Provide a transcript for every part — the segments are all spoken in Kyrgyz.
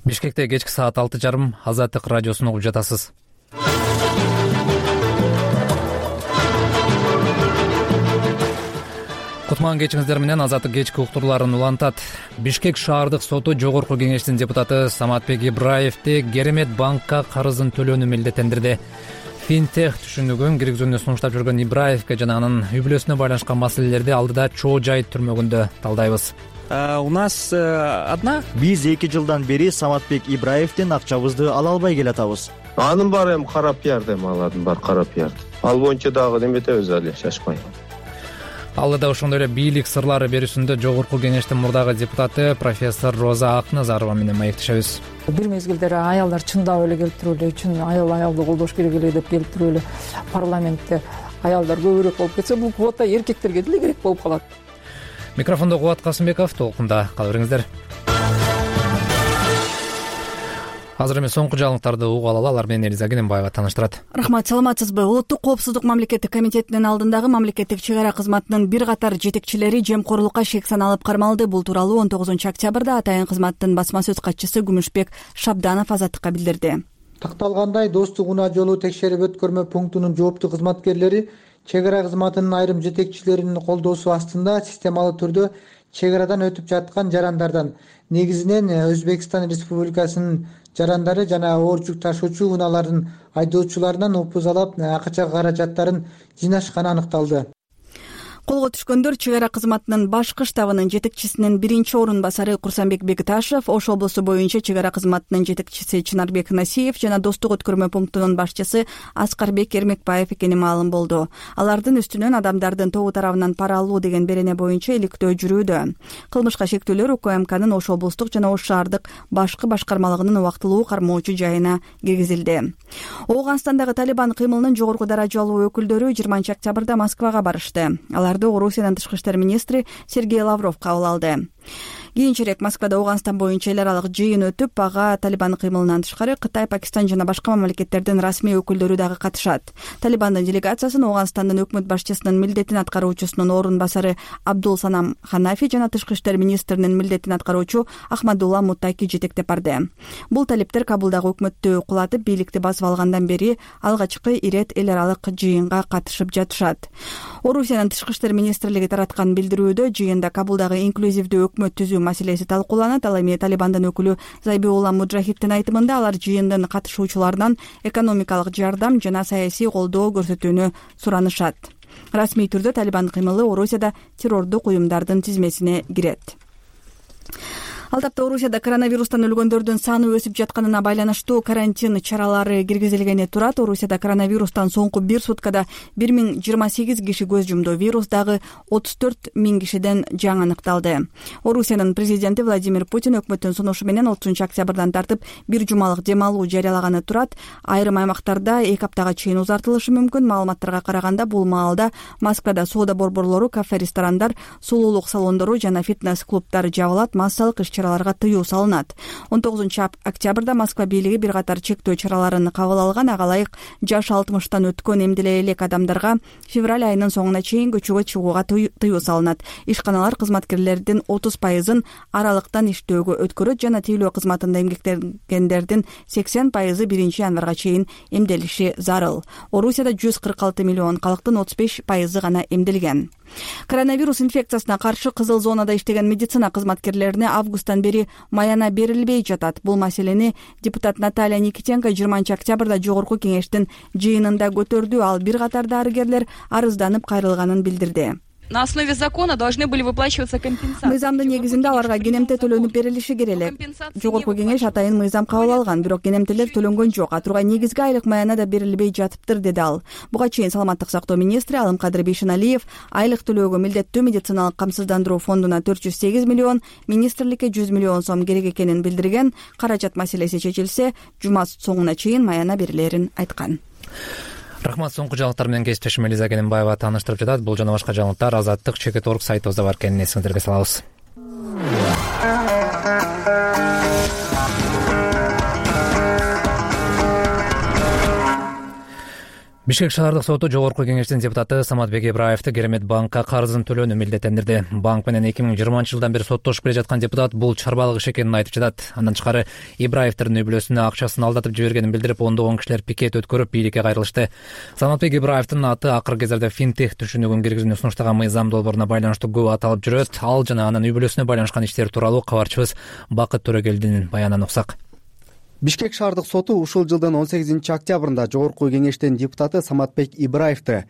Бишкекте кечки саат 6:30 Азаттык радиосун угуп жатасыз. Кутман кечиңиздер менен Азаттык кечки уктурларын улантат. Бишкек шаардык соту жогорку кеңештин депутаты Саматбек Ибраевди Керемет банкка карызын төлөөнү милдеттендирди. Финтех түшүнүгүн киргизүүнү сунуштап жүргөн Ибраевге жана анын үй-бүлөсүнө байланышкан маселелерди алдыда Чоо Жайыт түрмөгүндө талдайбыз. У нас одна. Биз 2 жылдан бери Саматбек Ибраевдин акчабызды ала албай келатабыз. Анын баары эми кара пиарды, аладын баары кара пиарды. Ал боюнча дагы неметебиз али, шашпай. Алдыда ошондой эле бийлик сырлары берүүсүндө жогорку кеңештин мурдагы депутаты профессор Роза Акназарова менен маектешебиз. Бир мезгилдер аялдар чындап эле келип эле үчүн аялды колдош керек эле деп келип эле парламентте аялдар көбүрөөк болуп кетсе, бул квота эркектерге деле керек болуп калат. Микрофондо Кубат Касымбеков, толкунда кала бериңиздер. Азыр эми соңку жаңылыктарды угуп алалы, алар менен Элиза Кененбаева тааныштырат. Рахмат, саламатсызбы? Улуттук коопсуздук мамлекеттик комитетинин алдындагы мамлекеттик чек ара кызматынын бир катар жетекчилери жемкорлукка шек саналып кармалды. Бул тууралуу 19 октябрда атайын кызматтын басма сөз катчысы Күмүшбек Шабданов Азаттыкка билдирди. Такталгандай, Достук унаа жолу текшерип өткөрмө пунктунун жооптуу кызматкерлери чек ара кызматынын айрым жетекчилеринин колдоосу астында системалуу түрдө чек арадан өтүп жаткан жарандардан, негизинен Өзбекстан Республикасынын жарандары жана оор жүк ташуучу унаалардын айдоочуларынан упузалап акча каражаттарын жыйнашканы аныкталды. Колго түшкөндөр чек ара кызматынын башкы штабынын жетекчисинин биринчи орун басары Курсанбек Бекташев, Ош облусу боюнча чек ара кызматынын жетекчиси Чынарбек Насиев жана Достук өткөрмө пунктунун башчысы Аскарбек Эрмекбаев экени маалым болду. Алардын үстүнөн адамдардын тобу тарабынан пара алуу деген берене боюнча иликтөө жүрүүдө. Кылмышка шектүүлөр УКМКнын Ош облустук жана Ош шаардык башкы башкармалыгынын убактылуу кармоочу жайына киргизилди. Ооганстандагы Талибан кыймылынын жогорку даражалуу өкүлдөрү 20 октябрда Москвага барышты. Орусиянын тышкы иштер министри Сергей Лавров кабыл алды. Кийинчерээк Москвада Ооганстан боюнча эл аралык жыйын өтүп, ага Талибан кыймылынан тышкары Кытай, Пакистан жана башка мамлекеттердин расмий өкүлдөрү дагы катышат. Талибандын делегациясын Ооганстандын өкмөт башчысынын милдетин аткаруучусунун орун басары Абдул Санам Ханафи жана тышкы иштер министринин милдетин аткаруучу Ахмадулла Муттаки жетектеп барды. Бул талиптер Кабулдагы өкмөттү кулатып, бийликти басып алгандан бери алгачкы ирет эл аралык жыйынга катышып жатышат. Орусиянын тышкы иштер министрлиги тараткан билдирүүдө жыйында Кабулдагы инклюзивдүү өкмөт түзүү маселеси талкууланат. Ал эми Талибандын өкүлү Забиулла Муджахиддин айтымында алар жыйындын катышуучуларынан экономикалык жардам жана саясий колдоо көрсөтүүнү суранышат. Расмий түрдө Талибан кыймылы Орусияда террордук уюмдардын тизмесине кирет. Ал тапта Орусияда коронавирустан өлгөндөрдүн саны өсүп жатканына байланыштуу карантин чаралары киргизилгени турат. Орусияда коронавирустан соңку бир суткада 1028 киши көз жумду. Вирус дагы 34 000 кишиден жаңы аныкталды. Орусиянын президенти Владимир Путин өкмөттүн сунушу менен 30 октябрдан тартып бир жумалык дем алуу жарыялаганы турат. Айрым аймактарда 2 аптага чейин узартылышы мүмкүн. Маалыматтарга караганда бул маалда Москвада соода борборлору, кафе, ресторандар, сулуулук салондору жана фитнес-клубдар жабылат. Массалык иш-чараларга тыюу салынат. 19 октябрда Москва бийлиги бир катар чектөө чараларын кабыл алган. Ага ылайык жаш 60-тан өткөн эмделе элек адамдарга февраль айынын соңуна чейин көчөгө чыгууга тыюу салынат. Ишканалар кызматкерлердин 30% аралыктан иштөөгө өткөрөт жана тейлөө кызматында эмгектенгендердин 80% 1 январга чейин эмделиши зарыл. Орусияда 146 миллион калктын 35% гана эмделген. Коронавирус инфекциясына каршы кызыл зонада иштеген медицина кызматкерлерине августтан бери маяна берилбей жатат. Бул маселени депутат Наталья Никитенко 20 октябрда жогорку кеңештин жыйынында көтөрдү. Ал бир катар дарыгерлер арызданып кайрылганын билдирди. На основе закона должны были выплачиваться компенсации. Мыйзамдын негизинде аларга кенемте төлөнүп берилиши керек эле. Жогорку кеңеш атайын мыйзам кабыл алган, бирок кенемтелер төлөнгөн жок. Атургай негизги айлык маяна да берилбей жатыптыр, деди ал. Буга чейин саламаттык сактоо министри Алымкадыр Бейшеналиев айлык төлөөгө милдеттүү медициналык камсыздандыруу фондуна 408 миллион, министрликке 100 миллион сом керек экенин билдирген. Каражат маселеси чечилсе, жума соңуна чейин маяна берилерин айткан. Рахмат, соңку жаңылыктар менен кесиптешим Элиза Кененбаева тааныштырып жатат. Бул жана башка жаңылыктар Азаттык Чекит.org сайтыбызда бар экенин эсиңиздерге салабыз. Бишкек шаардык соту жогорку кеңештин депутаты Саматбек Ибраевди Керемет банкка карызын төлөөнү милдеттендирди. Банк менен 2020 жылдан бери соттошуп келе жаткан депутат бул чарбалык иш экенин айтып жатат. Андан тышкары Ибраевдин үй бүлөсүнө акчасын алдатып жибергенин билдирип, ондогон кишилер пикет өткөрүп бийликке кайрылышты. Саматбек Ибраевдин аты акыркы кездерде финтех түшүнүгүн киргизүүнү сунуштаган мыйзам долбооруна байланыштуу көп аталып жүрөт. Ал жана анын үй бүлөсүнө байланышкан иштер тууралуу кабарчыбыз Бакыт Төрөгелдинин баянынан уксак. Бишкек шаардык соту ушул жылдын 18-октябрында жогорку кеңештин депутаты Саматбек Ибраевди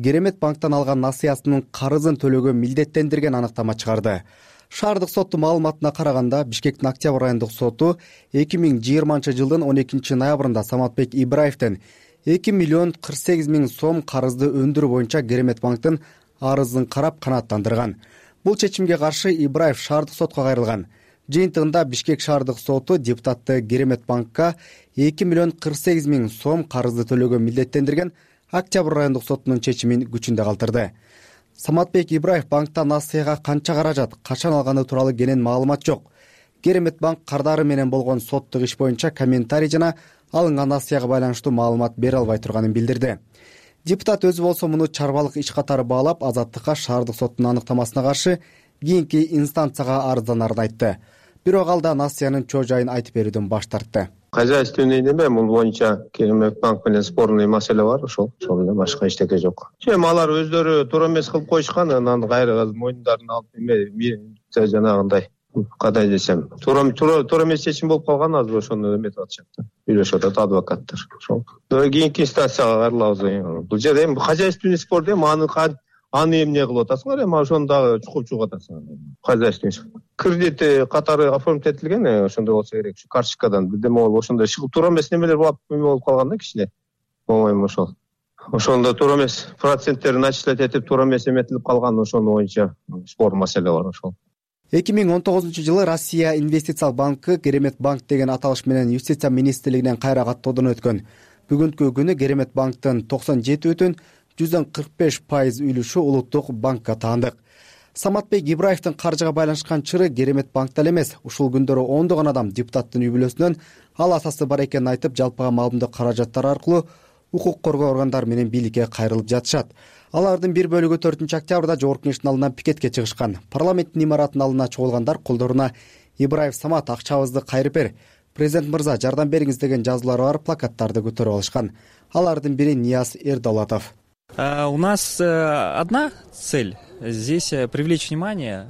Керемет банктан алган насыясынын карызын төлөөгө милдеттендирген аныктама чыгарды. Шаардык соттун маалыматына караганда, Бишкектин Октябрь айындык соту 2020 жылдын 12 ноябрында Саматбек Ибраевдин 2 миллион 48 миң сом карызды өндүрүү боюнча Керемет банктын арызын карап канааттандырган. Бул чечимге каршы Ибраев шаардык сотко кайрылган. Жыйынтыгында Бишкек шаардык соту депутатты Керемет банкка 2 миллион 48 миң сом карызды төлөөгө милдеттендирген Октябрь айындык сотунун чечимин күчүндө калтырды. Саматбек Ибраев банктан насыяга канча каражат, качан алганы тууралуу кенен маалымат жок. Керемет банк кардары менен болгон соттук иш боюнча комментарий жана алынган насыяга байланыштуу маалымат бере албай турганын билдирди. Депутат өзү болсо муну чарбалык иш катары баалап, азаттыкка шаардык соттун аныктамасына каршы кийинки инстанцияга арызданарын айтты. Бирок ал да насыянын чоо жайын айтып берүүдөн баш тартты. Хозяйственный неме, бул боюнча Керемет банк менен спорный маселе бар, ошол эле, башка эчтеке жок. Алар өздөрү туура эмес кылып коюшкан, анан кайра мойундарын алып жанагындай кадай десем, туура эмес чечим болуп калган, азыр ошону эметип атышат да. Үйлөшүп атат адвокаттар. Ошол. Кийинки инстанцияга кайрылабыз. Бул жерде эми хозяйственный спор дейм, аны эмне кылып атасыңар, эми ошону дагы чукуп атасыңар. Хозяйственный кредит катары оформить этилген, ошондой болсо керек. Ушу карточкадан бирдеме болуп, ошондой туура эмес немелер болуп калган да кичине. По-моему, ошол. Ошондо туура эмес проценттери начислять этип, туура эмес эметилип калган, ошону боюнча спор маселе бар ошол. 2019 жылы Россия инвестициялык банкы Керемет банк деген аталыш менен Юстиция министрлигинен кайра каттоодон өткөн. Бүгүнкү күнү Керемет банктын 97,45% үлүшү улуттук банкка таандык. Саматбек Ибраевдин каржыга байланышкан чыры Керемет банкта эмес, ушул күндөрү ондогон адам депутаттын үй бүлөсүнөн ал атасы бар экенин айтып, жалпыга маалымдык каражаттар аркылуу укук коргоо органдары менен бийликке кайрылып жатышат. Алардын бир бөлүгү 4 октябрда жогорку кеңештин алдына пикетке чыгышкан. Парламенттин имаратынын алдына чогулгандар колдоруна Ибраев Самат акчабызды кайрып бер, президент мырза жардам бериңиз деген жазуулары бар плакаттарды көтөрүп алышкан. Алардын бири Нияз Эрдолатов. У нас одна цель здесь привлечь внимание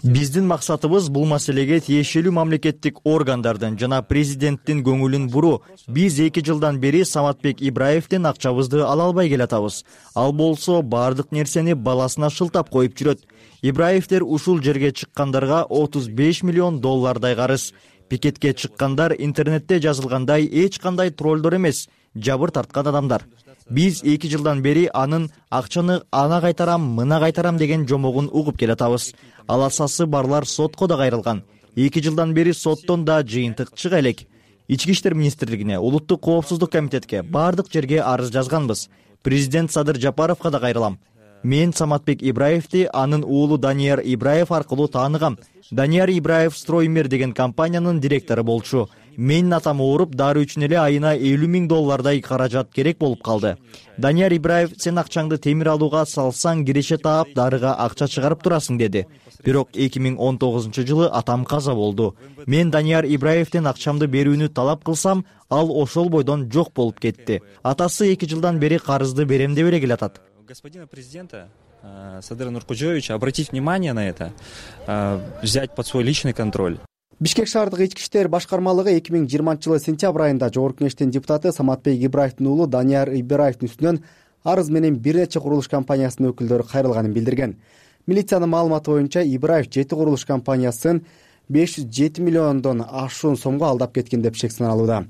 Биздин максатыбыз бул маселеге тиешелүү мамлекеттик органдардын жана президенттин көңүлүн буруу. Биз 2 жылдан бери Саматбек Ибраевдин акчабызды ала албай келатабыз. Ал болсо бардык нерсени баласына шылтап коюп жүрөт. Ибраевдер ушул жерге чыккандарга 35 миллион доллардай карыз. Пикетке чыккандар интернетте жазылгандай эч кандай троллдор эмес, жабыр тарткан адамдар. Биз 2 жылдан бери анын акчаны ана кайтарам, мына кайтарам деген жомогун угуп келатабыз. Аласасы барлар сотко да кайрылган. 2 жылдан бери соттон да жыйынтык чыга элек. Ички иштер министрлигине, улуттук коопсуздук комитетке, бардык жерге арыз жазганбыз. Президент Садыр Жапаровго да кайрылам. Мен Саматбек Ибраевди анын уулу Данияр Ибраев аркылуу тааныгам. Данияр Ибраев Строймер деген компаниянын директору болчу. Менин атам ооруп, дары үчүн эле айына 50 миң доллардай каражат керек болуп калды. Данияр Ибраев, сен акчаңды темир алууга салсаң киреше таап, дарыга акча чыгарып турасың деди. Бирок 2019 жылы атам каза болду. Мен Данияр Ибраевдин акчамды берүүнү талап кылсам, ал ошол бойдон жок болуп кетти. Атасы 2 жылдан бери карызды берем деп эле келатат. Господина президента Садыра Нуркожоевича обратить внимание на это, взять под свой личный контроль. Бишкек шаардык ички иштер башкармалыгы 2020 жылы сентябрь айында жогорку кеңештин депутаты Саматбек Ибраевдин уулу Данияр Ибраевдин үстүнөн арыз менен бир нече курулуш компаниясынын өкүлдөрү кайрылганын билдирген. Милициянын маалыматы боюнча Ибраев 7 курулуш компаниясын 507 миллиондон ашуун сомго алдап кеткен деп шек саналууда.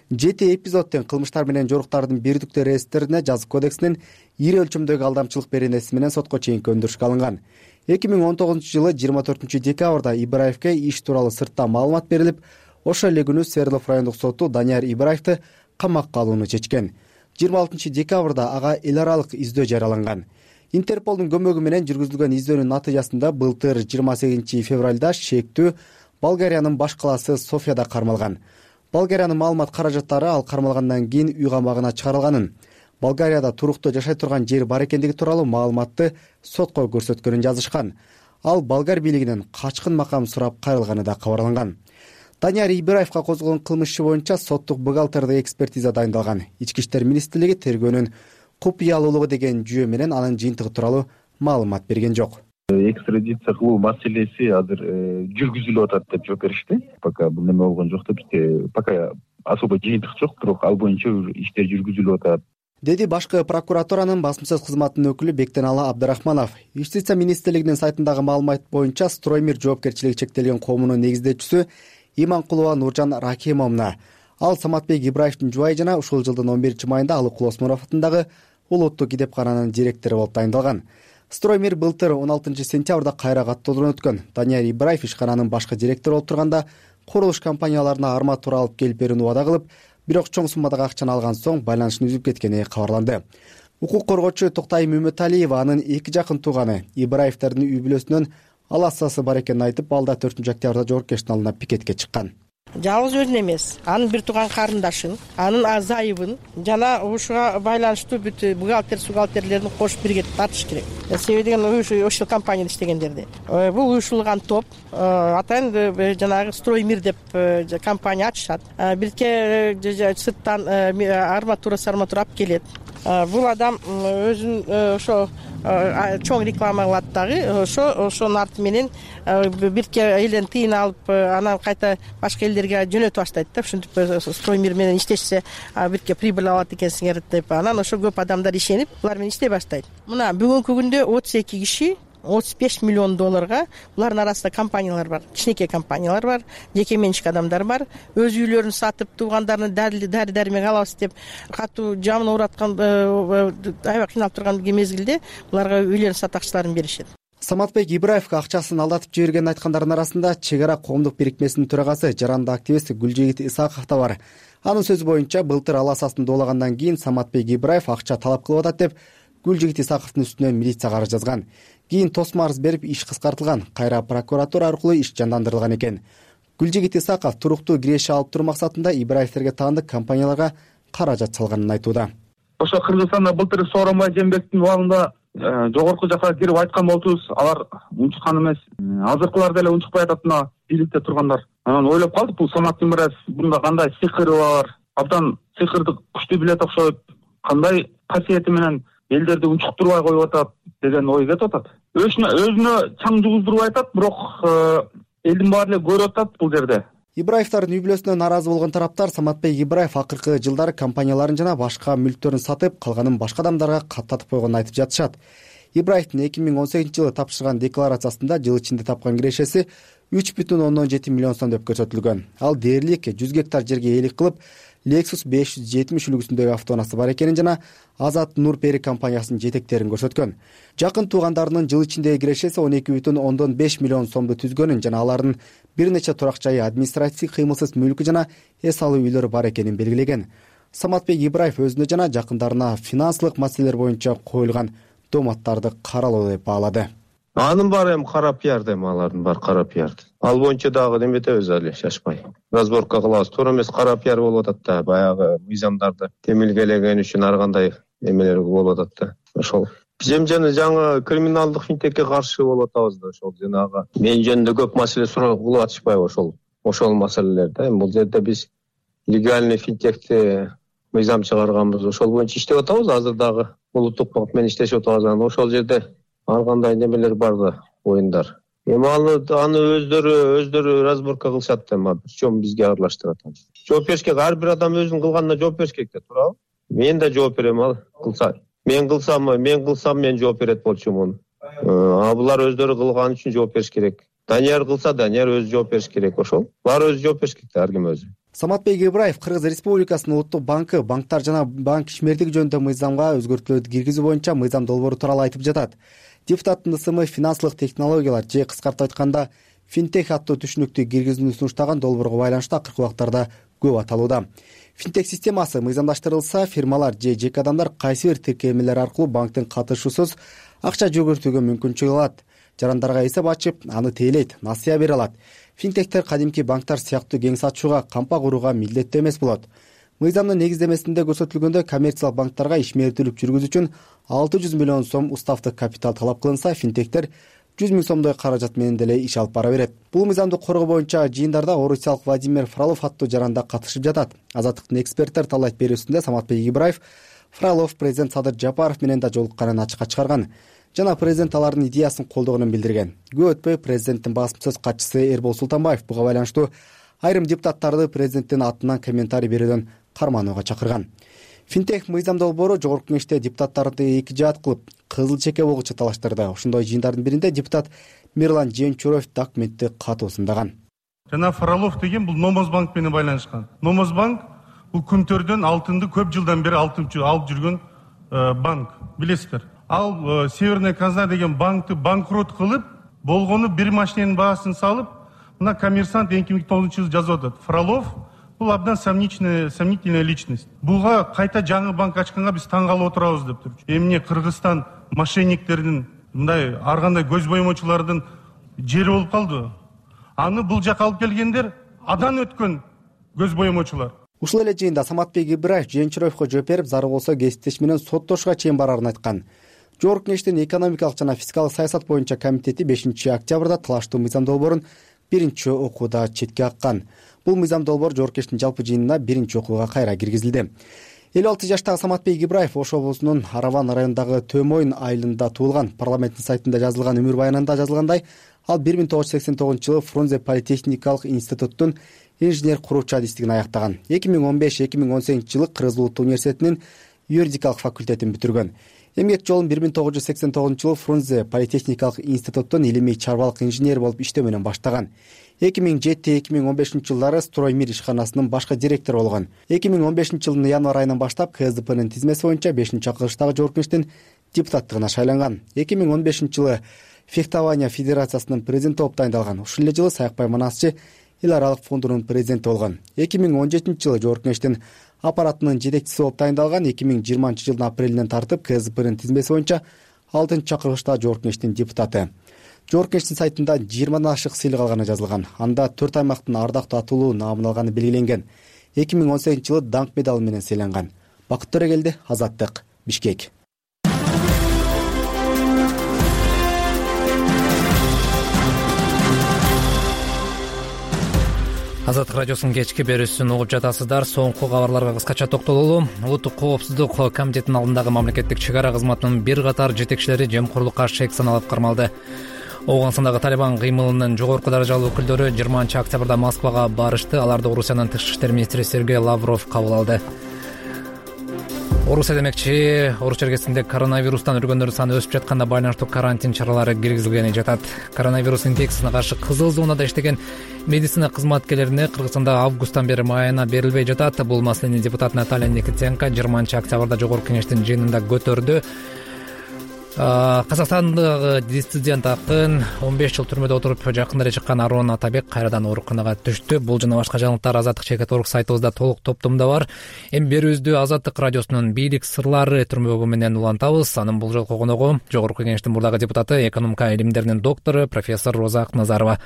7 эпизодтон кылмыштар менен жоруктардын бирдиктүү реестрине жазык кодексинин ири өлчөмдөгү алдамчылык беренеси менен сотко чейинки өндүрүшкө алынган. 2019 жылы 24 декабрда Ибраевке иш тууралуу сыртта маалымат берилип, ошол эле күнү Свердлов райондук соту Данияр Ибраевди камакка алууну чечкен. 26 декабрда ага эл аралык издөө жарыяланган. Интерполдун көмөгү менен жүргүзүлгөн издөөнүн натыйжасында былтыр 28 февралда шектүү Болгариянын баш калаасы Софияда кармалган. Болгариянын маалымат каражаттары ал кармалгандан кийин үй камагына чыгарылганын. Болгарияда туруктуу жашай турган жер бар экендиги тууралуу маалыматты сотко көрсөткөнүн жазышкан. Ал болгар бийлигинен качкын макам сурап кайрылганы да кабарланган. Данияр Ибраевга козголгон кылмыш иши боюнча соттук бухгалтердик экспертиза дайындалган. Ички иштер министрлиги тергөөнүн купуялуулугу деген жүйө менен анын жыйынтыгы тууралуу маалымат берген жок. Экстрадиция кылуу маселеси азыр жүргүзүлүп атат деп жооп беришти. Пока бул неме болгон жок деп, пока особо жыйынтык жок, бирок ал боюнча иштер жүргүзүлүп атат, деди башкы прокуратуранын басмасөз кызматынын өкүлү Бектеналы Абдрахманов. Юстиция министрлигинин сайтындагы маалымат боюнча Строймир жоопкерчилиги чектелген коомунун негиздөөчүсү Иманкулова Нуржан Рахимовна. Ал Саматбек Ибраевдин жубайы жана ушул жылдын 11-майында Алыкул Осмонов атындагы улуттук китепкананын директору болуп тайындалган. Строймир былтыр 16-сентябрда кайра каттоодон өткөн. Данияр Ибраев ишкананын башкы директору болуп турганда курулуш компанияларына арматура алып келип берүүнү убада кылып, бирок чоң суммадагы акчаны алган соң байланышын үзүп кеткени кабарланды. Укук коргоочу Токтайым Үмүталиева анын эки жакын тууганы Ибраевдердин үй бүлөсүнөн аласасы бар экенин айтып, алда 4-октябрда жоопкерчиликтин алдына пикетке чыккан. Жалгыз өзүн эмес, анын бир тууган карындашын, анын зайыбын жана ушуга байланыштуу бүт бухгалтерлерин кошуп бирге тартыш керек. Себеби деген ошол компанияда иштегендерди. Бул уюшулган топ атайын жанагы Строймир деп компания ачышат. Бирке сырттан арматура алып келет. Бул адам өзүн ошо чоң реклама кылат дагы, ошонун арты менен бирке элден тыйын алып, анан кайта башка элдерге жөнөтүп баштайт да. Ушинтип Строймир менен иштешсе бирке прибыль алат экенсиңер деп, анан ошо көп адамдар ишенип, булар менен иштей баштайт. Мына бүгүнкү күндө 32 киши $35 миллион булардын арасында компаниялар бар, кичинекей компаниялар бар, жеке менчик адамдар бар. Өз үйлөрүн сатып, туугандарына дары-дармек алабыз деп катуу жамын оораткан, аябай кыйналып турган мезгилде буларга үйлөрүн сатакчыларын беришет. Саматбек Ибраевга акчасын алдатып жибергенин айткандардын арасында Чек ара коомдук бирикмесинин төрагасы, жарандык активист Гүлжигит Исаков да бар. Анын сөзү боюнча, былтыр аласасын доолагандан кийин Саматбек Ибраев акча талап кылып атат деп Гүлжигит Исаковдун үстүнө милицияга арыз жазган. Кийин тосмо арыз берип, иш кыскартылган, кайра прокуратура аркылуу иш жандандырылган экен. Гүлжигит Исаков туруктуу киреше алып туруу максатында Ибраевтерге таандык компанияларга каражат салганын айтууда. Ошо Кыргызстанда былтыр Сооронбай Жээнбековдун убагында жогорку жакка кирип айткан болчубуз, алар унчуккан эмес. Азыркылар деле унчукпай атат, мына бийликте тургандар. Анан ойлоп калдык, бул Самат Ибраев бунда кандай сыйкыры бар, абдан сыйкырды күчтүү билет окшойт, кандай касиети менен элдерди унчуктурбай коюп атат деген ой кетип атат. Өзүнө чаң жугуздурбай атат, бирок элдин баары эле көрүп атат бул жерде. Ибраевдардын үй бүлөсүнө нааразы болгон тараптар Саматбек Ибраев акыркы жылдары компанияларын жана башка мүлктөрүн сатып, калганын башка адамдарга каттатып койгонун айтып жатышат. Ибраевдин 2018-жылы тапшырган декларациясында жыл ичинде тапкан кирешеси 3,7 миллион сом деп көрсөтүлгөн. Ал дээрлик 100 гектар жерге ээлик кылып, Lexus 570 үлгүсүндөгү автоунаасы бар экенин жана Азат Нурпери компаниясынын жетектерин көрсөткөн. Жакын туугандарынын жыл ичиндеги кирешеси 12,5 миллион сомду түзгөнүн жана алардын бир нече турак жайы, административдик кыймылсыз мүлкү жана эс алуу үйлөрү бар экенин белгилеген. Саматбек Ибраев өзүнө жана жакындарына финансылык маселелер боюнча коюлган дооматтарды каралуу деп баалады. Анын баары эми кара пиар, алардын баары кара пиар. Ал боюнча дагы неметебиз али, шашпай. Разборка кылабыз. Туура эмес кара пиар болуп атат да, баягы мыйзамдарды темилгелеген үчүн ар кандай эмелер болуп атат да. Ошол биз жана жаңы криминалдык финтекке каршы болуп атабыз да, ошол жанагы мен жөнүндө көп маселе суроо кылып атышпайбы ошол маселелерди. Бул жерде биз легальный финтекти мыйзам чыгарганбыз, ошол боюнча иштеп атабыз. Азыр дагы улуттук банк менен иштешип атабыз. Ошол жерде ар кандай немелер бар да, оюндар. Эми аны өздөрү разборка кылышат да, причем бизге аралаштырат. Жооп бериш керек, ар бир адам өзүнүн кылганына жооп бериш керек да, туурабы? Мен да жооп берем, ал кылса. Мен кылсам мен жооп берет болчумун. Булар өздөрү кылган үчүн жооп бериш керек. Данияр кылса, Данияр өзү жооп бериш керек, ошол. Булар өзү жооп бериш керек да, ар ким өзү. Саматбек Ибраев Кыргыз Республикасынын улуттук банкы банктар жана банк ишмердиги жөнүндө мыйзамга өзгөртүүлөрдү киргизүү боюнча мыйзам долбоору тууралуу айтып жатат. Депутаттын ысымы финансылык технологиялар же кыскартып айтканда финтех аттуу түшүнүктү киргизүүнү сунуштаган долбоорго байланыштуу акыркы убактарда көп аталууда. Финтех системасы мыйзамдаштырылса, фирмалар же жеке адамдар кайсы бир тиркемелер аркылуу банктын катышуусуз акча жүгүртүүгө мүмкүнчүлүк алат. Жарандарга эсеп ачып, аны тейлейт, насыя бере алат. Финтехтер кадимки банктар сыяктуу кең сатчууга, кампа курууга милдеттүү эмес болот. Мыйзамдын негиздемесинде көрсөтүлгөндөй коммерциялык банктарга ишмердүүлүк жүргүзүү үчүн 600 миллион сом уставдык капитал талап кылынса, финтектер 100 миң сомдой каражат менен деле иш алып бара берет. Бул мыйзамды коргоо боюнча жыйындарда орусиялык Владимир Фролов аттуу жаранда катышып жатат. Азаттыктын эксперттер талайт берүүсүндө Саматбек Ибраев Фролов президент Садыр Жапаров менен да жолукканын ачыкка чыгарган жана президент алардын идеясын колдогонун билдирген. Көп өтпөй президенттин басма сөз катчысы Эрбол Султанбаев буга байланыштуу айрым депутаттарды президенттин атынан комментарий берүүдөн карманууга чакырган. Финтех мыйзам долбоору жогорку кеңеште депутаттарды эки жаат кылып, кызыл чеке болгучу талаштырды. Ошондой жыйындардын биринде депутат Мирлан Жээнчуроев документти катуу сындаган. Жана Фролов деген бул Номозбанк менен байланышкан. Номозбанк бул күнтөрдөн алтынды көп жылдан бери алып жүргөн банк, билесиздер. Ал Северная казна деген банкты банкрот кылып, болгону бир машиненин баасын салып, мына Коммерсант 2009-жылы жазып атат. Фролов бул абдан сомнительная личность. Буга кайта жаңы банк ачканга биз таң калып отурабыз деп тур. Эмне Кыргызстан мошенниктердин, мындай ар кандай көз боемочулардын жери болуп калды. Аны бул жака алып келгендер адан өткөн көз боемочулар. Ушул эле жыйында Саматбек Ибраев Жээнчуроевго жооп берип, зарыл болсо кесиптеш менен соттошууга чейин барарын айткан. Жогорку кеңештин экономикалык жана фискалдык саясат боюнча комитети 5-октябрда талаштуу мыйзам долбоорун биринчи окууда четке каккан. Бул мыйзам долбоор жогорку кеңештин жалпы жыйынына биринчи окууга кайра киргизилди. 56 жаштагы Саматбек Ибраев Ош облусунун Араван районундагы Төмойн айылында туулган. Парламенттин сайтында жазылган өмүр баянында жазылгандай, ал 1989-жылы Фрунзе политехникалык институттун инженер куруучу адистигин аяктаган. 2015-2018 жылы Кыргыз Улуттук университетинин юридикалык факультетин бүтүргөн. Эмгек жолун 1989-жылы Фрунзе политехникалык институттун илимий чарбалык инженери болуп иштөө менен баштаган. 2007-2015 жылдары Строймир ишканасынын башкы директору болгон. 2015 жылдын январь айынан баштап КСДПнын тизмеси боюнча 5-чакырылыштагы жогорку кеңештин депутаттыгына шайланган. 2015 жылы Фехтования федерациясынын президенти болуп дайындалган. Ушул эле жылы Саякбай Манасчы эл аралык фондунун президенти болгон. 2017 жылы жогорку кеңештин аппаратынын жетекчиси болуп дайындалган. 2020 жылдын апрелинен тартып КСДПнын тизмеси боюнча 6-чакырылышта жогорку кеңештин депутаты. Жогорку кеңештин сайтында 20дан ашык сыйлык алганы жазылган. Анда 4 аймактын ардактуу атуулуу наамын алганы белгиленген. 2018 жылы даңк медалы менен сыйланган. Бакыт Төрөгелди, Азаттык, Бишкек. Азаттык радиосунун кечки берүүсүн угуп жатасыздар. Соңку кабарларга кыскача токтололу. Улуттук коопсуздук комитетинин алдындагы мамлекеттик чек ара кызматынын бир катар жетекчилери жемкорлукка шек саналып кармалды. Ооганстандагы Талибан кыймылынын жогорку даражалуу өкүлдөрү 20-октябрда Москвага барышты. Аларды Орусиянын тышкы иштер министри Сергей Лавров кабыл алды. Орусия демекчи, Орус чергесинде коронавирустан өлгөндөрдүн саны өсүп жатканда байланыштуу карантин чаралары киргизилгени жатат. Коронавирус инфекциясына каршы кызыл зонада иштеген медицина кызматкерлерине Кыргызстанда августтан бери майына берилбей жатат. Бул маселени депутат Наталья Никитенко 20-октябрда жогорку кеңештин жыйынында көтөрдү. Казакстандагы диссидент акын 15 жыл түрмөдө отуруп жакында эле чыккан Арон Атабек кайрадан ооруканага түштү. Бул жана башка жаңылыктар Азаттык Чекет.орг сайтыбызда толук топтомдо бар. Эми берүүбүздү Азаттык радиосунун бийлик сырлары түрмөгү менен улантабыз. Анын бул жолку коногу жогорку кеңештин мурдагы депутаты, экономика илимдеринин доктору профессор Роза Акназарова.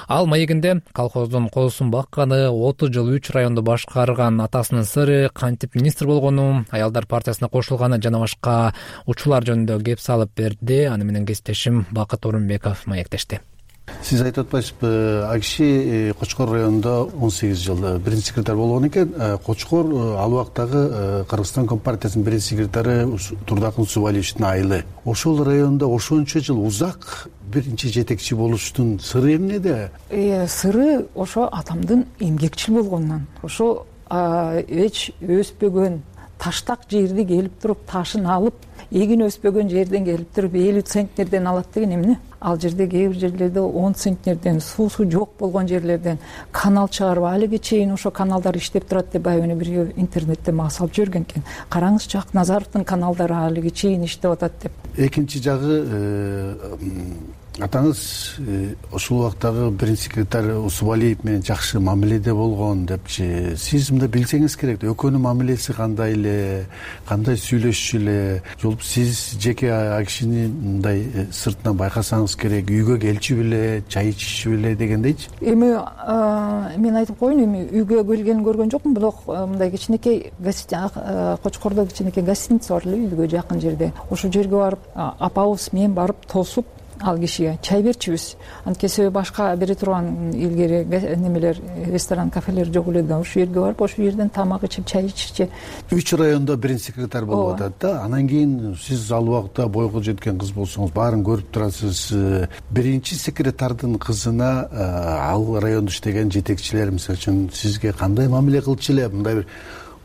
Ал маегинде колхоздун козусун бакканы, 30 жыл 3 районду башкарган атасынын сыры, кантип министр болгону, аялдар партиясына кошулганы жана башка учурлар жөнүндө кеп салып берди. Аны менен кесиптешим Бакыт Орунбеков маектешти. Сиз айтып атпайсызбы, ал киши Кочкор районунда 18 жыл биринчи секретарь болгон экен. Кочкор ал убактагы Кыргызстан Компартиясынын биринчи секретары Турдакын Субалиевичтин айылы. Ошол районда ошончо жыл узак биринчи жетекчи болуштун сыры эмнеде? Сыры ошо атамдын эмгекчил болгонунан. Ошо эч өспөгөн таштак жерди келип туруп ташын алып, эгин өспөгөн жерден келип туруп 50 центнерден алат деген эмне? Ал жерде кээ бир жерлерде 10 центнерден, суусу жок болгон жерлерден канал чыгарып, алиге чейин ошо каналдар иштеп турат деп айыбыны бирге интернетте мага салып жиберген экен. Караңызчы, Акназаровдун каналдары алиге чейин иштеп атат деп. Экинчи жагы атаңыз ошол убактагы биринчи секретарь Усубалиев менен жакшы мамиледе болгон депчи. Сиз мындай билсеңиз керек, экөөнүн мамилеси кандай эле, кандай сүйлөшчү эле, жолуп сиз жеке ал кишини мындай сыртынан байкасаңыз керек, үйгө келчү беле, чай ичишчү беле дегендейчи. Эми мен айтып коеюн, эми үйгө келгенин көргөн жокмун, бирок мындай кичинекей Кочкордо кичинекей гостиница бар эле үйгө жакын жерде. Ошол жерге барып апабыз мен барып тосуп ал кишиге чай берчүбүз. Анткени себеби башка бере турган илгери немелер, ресторан, кафелер жок эле да. Ошол жерге барып, ошол жерден тамак ичип, чай ичичи. 3 райондо биринчи секретарь болуп атат да. Анан кийин сиз ал убакта бойго жеткен кыз болсоңуз, баарын көрүп турасыз. Биринчи секретардын кызына ал райондо иштеген жетекчилер мисалы үчүн сизге кандай мамиле кылчу эле, мындай бир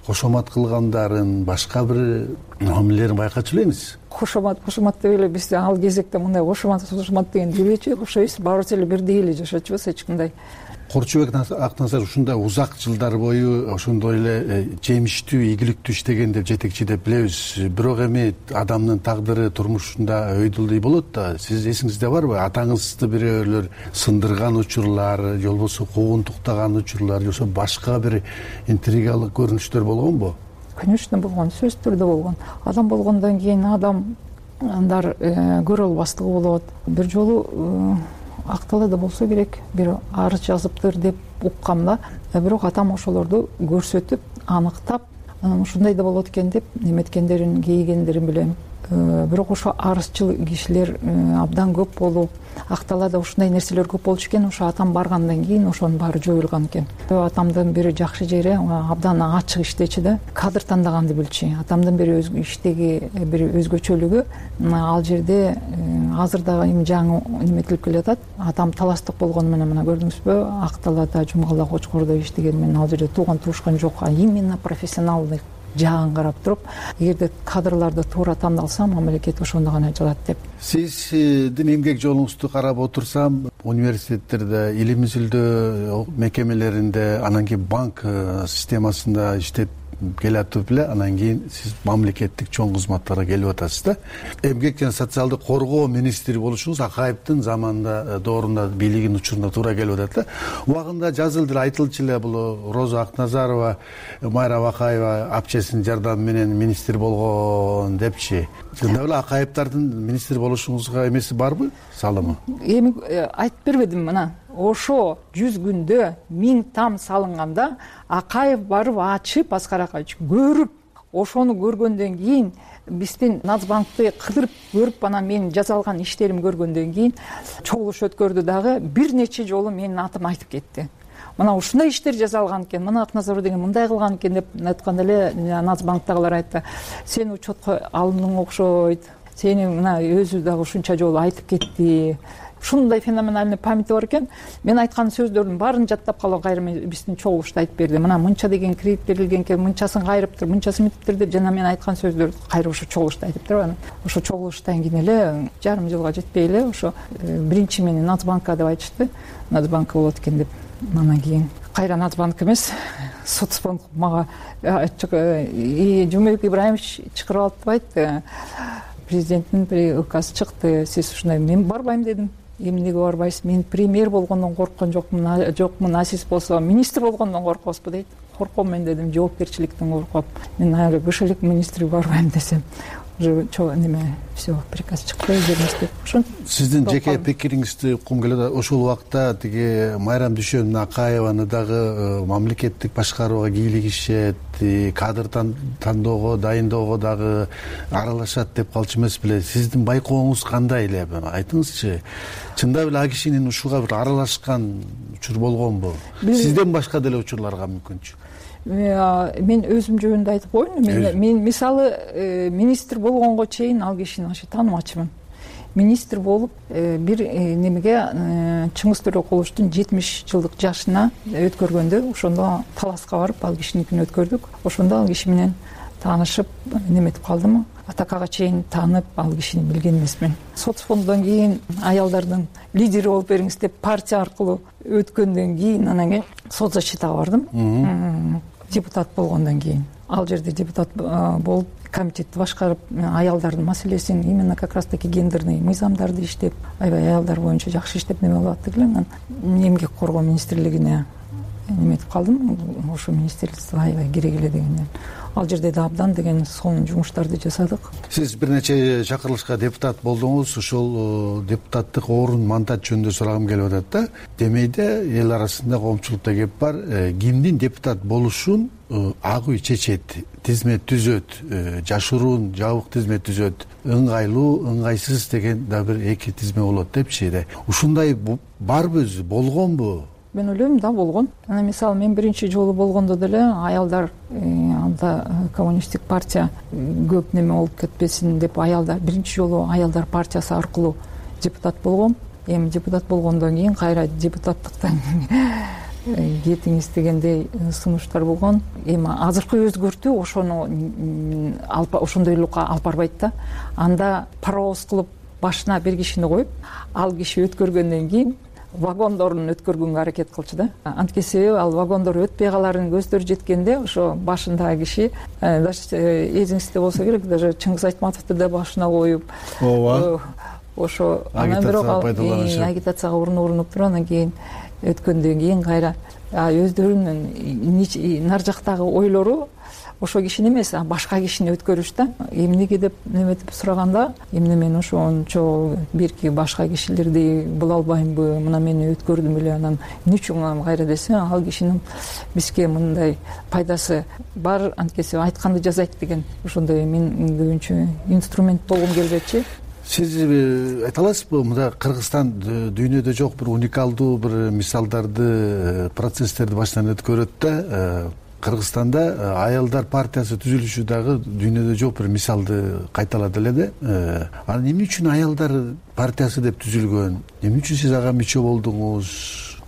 кошомат кылгандарын, башка бир мамилелерин байкачу белеңиз? Кошомат деп эле биз ал кезекте мындай кошомат дегенди билбейчү. Окшойбуз, баарыбыз эле бирдей эле жашачубуз, эч кандай. Корчубек Акназар ушундай узак жылдар бою ошондой эле жемиштүү, ийгиликтүү иштеген деп жетекчи деп билебиз. Бирок эми адамдын тагдыры турмушунда өйдөлдөй болот да. Сиз эсиңизде барбы? Атаңызды бирөөлөр сындырган учурлар, же болбосо куугунтуктаган учурлар, же болбосо башка бир интригалык көрүнүштөр болгонбу? Конечно болгон, сөзсүз түрдө болгон. Адам болгондон кийин адамдар көрө албастыгы болот. Бир жолу Акталада болсо керек, бир арыз жазыптыр деп уккам да. Бирок атам ошолорду көрсөтүп, аныктап, анан ушундай да болот экен деп неметкендерин, кейгендерин билем. Бирок ошо арызчыл кишилер абдан көп болуп, Акталада ушундай нерселер көп болчу экен. Ошо атам баргандан кийин ошонун баары жоюлган экен. Атамдын бири жакшы жери абдан ачык иштечи да, кадыр тандаганды билчү. Атамдын бири иштеги бир өзгөчөлүгү, ал жерде азыр дагы эми жаңы неметилип келатат. Атам таластык болгону менен мына көрдүңүзбү, Акталада, Жумгала, Кочкордо иштеген менен ал жерде тууган туушкан жок, а именно профессионалдык жагын карап туруп, эгерде кадрларды туура тандалса, мамлекет ошондо гана жылат деп. Сиздин эмгек жолуңузду карап отурсам, университеттерде, илим изилдөө мекемелеринде, анан кийин банк системасында иштеп келатып эле, анан кийин сиз мамлекеттик чоң кызматтарга келип атасыз да. Эмгек жана социалдык коргоо министри болушуңуз Акаевдин заманында доорунда бийлигинин учурунда туура келип атат да. Убагында жазылды эле, айтылчу эле, бул Роза Акназарова, Майра Бакаева апчесинин жардамы менен министр болгон депчи. Чындап эле Акаевдардын министр болушуңузга эмеси барбы, салымы? Эми айтып бербедим, мына ошо 100 күндө 1000 там салынганда Акаев барып ачып, Аскар Акаевич көрүп, ошону көргөндөн кийин биздин Нацбанкты кыдырып көрүп, анан менин жаза алган иштеримди көргөндөн кийин чогулуш өткөрдү дагы, бир нече жолу менин атым айтып кетти. Мына ушундай иштер жаза алган экен, мына Акназаров деген мындай кылган экен деп айтканда эле Нацбанктагылар айтты. Сен учетко алындың окшойт, сени мына өзү дагы ушунча жолу айтып кетти. Ушундай феноменальный памяти бар экен. Мен айткан сөздөрдүн баарын жаттап калган, кайра биздин чогулушта айтып берди. Мына мынча деген кредит берилген экен, мынчасын кайрыптыр, мынчасын мынтиптир деп жана мен айткан сөздөрдү кайра ошо чогулушта айтыптыр. Анан ошо чогулуштан кийин эле жарым жылга жетпей эле ошо биринчи мени Нацбанкка деп айтышты. Нацбанк болот экен деп. Анан кийин кайра Нацбанк эмес, соцфонд мага Жумабек Ибраимович чакырып алып деп айтты. Президенттин бир указ чыкты, сиз ушундай. Мен барбайм дедим. Эмнеге барбайсыз? Мен премьер болгондон корккон жокмун, а сиз болсо министр болгондон коркосузбу дейт. Корком мен дедим, жоопкерчиликтен коркуп. Мен али кышылык министри барбайм десем, уже неме все приказ чыкты жерибизде. Сиздин жеке пикириңизди уккум келет. Ошол убакта тиги Майрам Дүйшөнүн Акаеваны дагы мамлекеттик башкарууга кийлигишет, кадр тандоого, дайындоого дагы аралашат деп калчу эмес беле? Сиздин байкооңуз кандай эле? Айтыңызчы. Чындап эле ал кишинин ушуга бир аралашкан учур болгонбу? Сизден башка деле учурларга мүмкүнчү? Мен өзүм жөнүндө айтып коеюн. Мен мисалы министр болгонго чейин ал кишини таанымачымын. Министр болуп бир немеге Чыңгыз Төрөкуловдун 70 жылдык жашына өткөргөндө, ошондо таласка барып ал кишиникин өткөрдүк. Ошондо ал киши менен таанышып неметип калдым. Атакага чейин таанып ал кишини билген эмесмин. Соцфонддон кийин аялдардын лидери болуп бериңиз деп партия аркылуу өткөндөн кийин анан соцзащитага бардым. депутат болгондон кийин. Ал жерде депутат болуп комитетти башкарып, аялдардын маселесин, именно как раз таки гендерный мыйзамдарды иштеп, аябай аялдар боюнча жакшы иштеп неме кылып аттык эле. Анан эмгек коргоо министрлигине неметип калдым. Ошо министрликте аябай керек эле дегенден. Ал жерде да абдан деген сонун жумуштарды жасадык. Сиз бир нече чакырылышка депутат болдуңуз. Ошол депутаттык орун мандат жөнүндө сурагым келип атат да. Демейде эл арасында коомчулукта кеп бар, кимдин депутат болушун ак үй чечет, тизмет түзөт, жашыруун жабык тизмет түзөт, ыңгайлуу, ыңгайсыз деген да бир эки тизме болот депчи. Ушундай барбы өзү, болгонбу? Мен ойлойм, да, болгон. Анан мисалы мен биринчи жолу болгондо деле аялдар анда коммунисттик партия көп неме болуп кетпесин деп аялдар биринчи жолу аялдар партиясы аркылуу депутат болгом. Эми депутат болгондон кийин кайра депутаттыктан кетиңиз дегендей сунуштар болгон. Эми азыркы өзгөртүү ошондойлукка алып барбайт да. Анда паровоз кылып башына бир кишини коюп, ал киши өткөргөндөн кийин вагондорун өткөргөнгө аракет кылчу да. Анткени ал вагондор өтпөй каларын көздөрү жеткенде ошо башындагы киши, даже эсиңизде болсо керек, даже Чыңгыз Айтматовду да башына коюп, ооба, ошо анан бирок агитацияга урунуп туруп, анан кийин өткөндөн кийин кайра өздөрүнүн нар жактагы ойлору ошо кишини эмес, башка кишини өткөрүш да. Эмнеге деп неметип сураганда, эмне мен ошончо бирки башка кишилерди була албаймбы, мына мени өткөрдүм эле, анан эмне үчүн кайра десе, ал кишинин бизге мындай пайдасы бар, анткени айтканды жасайт деген ошондой мен көбүнчө инструмент болгум келбечи. Сиз айта аласызбы, мында Кыргызстан дүйнөдө жок бир уникалдуу бир мисалдарды, процесстерди баштан өткөрөт да. Кыргызстанда аялдар партиясы түзүлүшү дагы дүйнөдө жок бир мисалды кайталады эле да. Анан эмне үчүн аялдар партиясы деп түзүлгөн? Эмне үчүн сиз ага мүчө болдуңуз?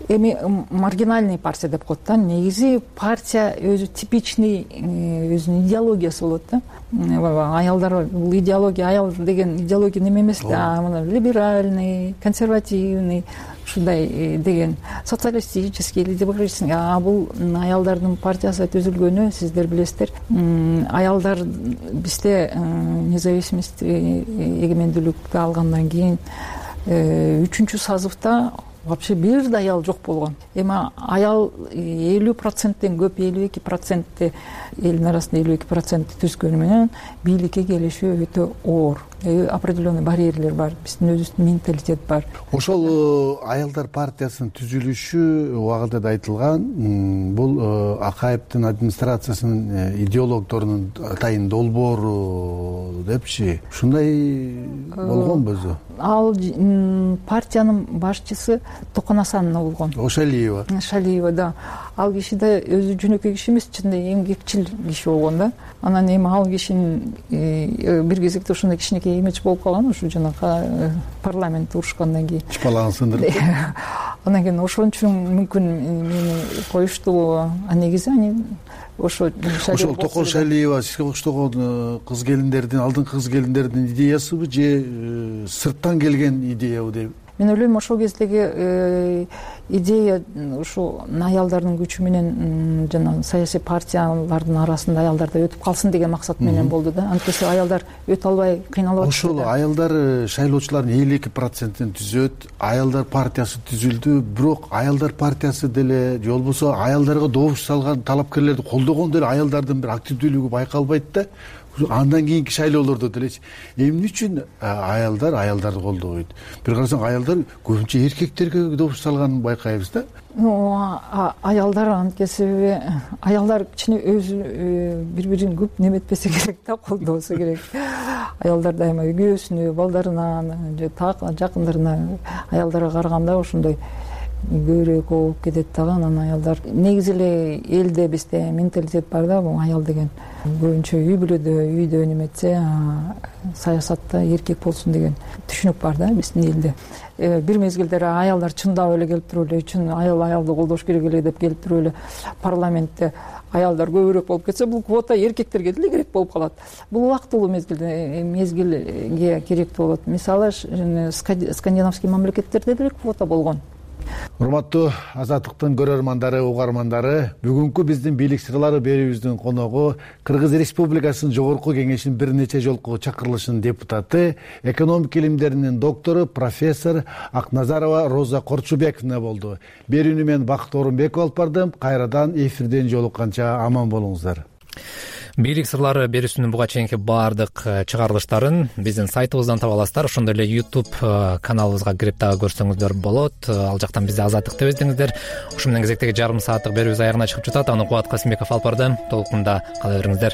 Эми маргинальный партия деп коет да. Негизи партия өзү типичный өзүнүн идеологиясы болот да. Аялдар бул идеология, аял деген идеология неме эмес да, мына либеральный, консервативный, ушундай деген социалистический или демократический. Бул аялдардын партиясы түзүлгөнү сиздер билесиздер. Аялдар бизде независимость, эгемендүүлүктү алгандан кийин 3-чү созывда вообще бир да аял жок болгон. Эми аял 50%тен көп, 52% элдин арасында 52% түзгөнү менен бийликке келиши өтө оор. Определенный барьерлер бар, биздин өзүбүздүн менталитет бар. Ошол аялдар партиясынын түзүлүшү убагында да айтылган, бул Акаевдин администрациясынын идеологдорунун атайын долбоору депчи. Ушундай болгонбу өзү? Ал партиянын башчысы Токон Асанова болгон. Шалиева. Шалиева, да. Ал киши да өзү жөнөкөй киши эмес, чынында эмгекчил киши болгон да. Анан эми ал кишинин бир кезекте ошондой кичинекей имидж болуп калган, ушу жанагы парламент урушкандан кийин. Чыпалагын сындырып. Анан кийин ошон үчүн мүмкүн мени коюшту. Негизи ошол Токон Шалиева сизге октогон кыз келиндердин, алдыңкы кыз келиндердин идеясыбы же сырттан келген идеябы деп? Мен ойлойм, ошол кездеги идея ушу аялдардын күчү менен жана саясий партиялардын арасында аялдар да өтүп калсын деген максат менен болду да. Анткени аялдар өтө албай кыйналып атышты. Ошол аялдар шайлоочулардын 52%-ин түзөт, аялдар партиясы түзүлдү, бирок аялдар партиясы деле же болбосо аялдарга добуш салган, талапкерлерди колдогон деле аялдардын бир активдүүлүгү байкалбайт да. Андан кийинки шайлоолордо делечи эмне үчүн аялдарды колдобойт? Бир карасаң аялдар көбүнчө эркектерге добуш салганын байкайбыз да. Аялдар анткени себеби аялдар кичине өзү бири-бирин көп неметпесе керек да, колдобосо керек. Аялдар дайыма үйгөсүнө, балдарына же так жакындарына аялдарга караганда ошондой көбүрөөк болуп кетет дагы. Анан аялдар негизи эле элде бизде менталитет бар да, бул аял деген көбүнчө үй бүлөдө, үйдө неметсе, саясатта эркек болсун деген түшүнүк бар да биздин элде. Бир мезгилдер аялдар чындап эле келип туруп эле, чын аялды колдош керек эле деп келип туруп эле парламентте аялдар көбүрөөк болуп кетсе, бул квота эркектерге деле керек болуп калат. Бул убактылуу мезгилге керектүү болот. Мисалы, скандинавский мамлекеттерде деле квота болгон. урматтуу Азаттыктын көрөрмандары, угармандары, бүгүнкү биздин бийлик сырлары берүүбүздүн коногу Кыргыз Республикасынын Жогорку Кеңешинин бир нече жолку чакырылышынын депутаты, экономика илимдеринин доктору, профессор Акназарова Роза Корчубековна болду. Берүүнү мен Бакыт Орунбеков алып бардым. Кайрадан эфирден жолукканча аман болуңуздар. Бийлик сырлары берүүсүнүн буга чейинки баардык чыгарылыштарын биздин сайтыбыздан таба аласыздар. Ошондой эле YouTube каналыбызга кирип дагы көрсөңүздөр болот. Ал жактан бизди Азаттык деп издеңиздер. Ушу менен кезектеги жарым сааттык берүүбүз аягына чыгып жатат. Аны Кубат Касымбеков алып барды. Толкунда кала бериңиздер.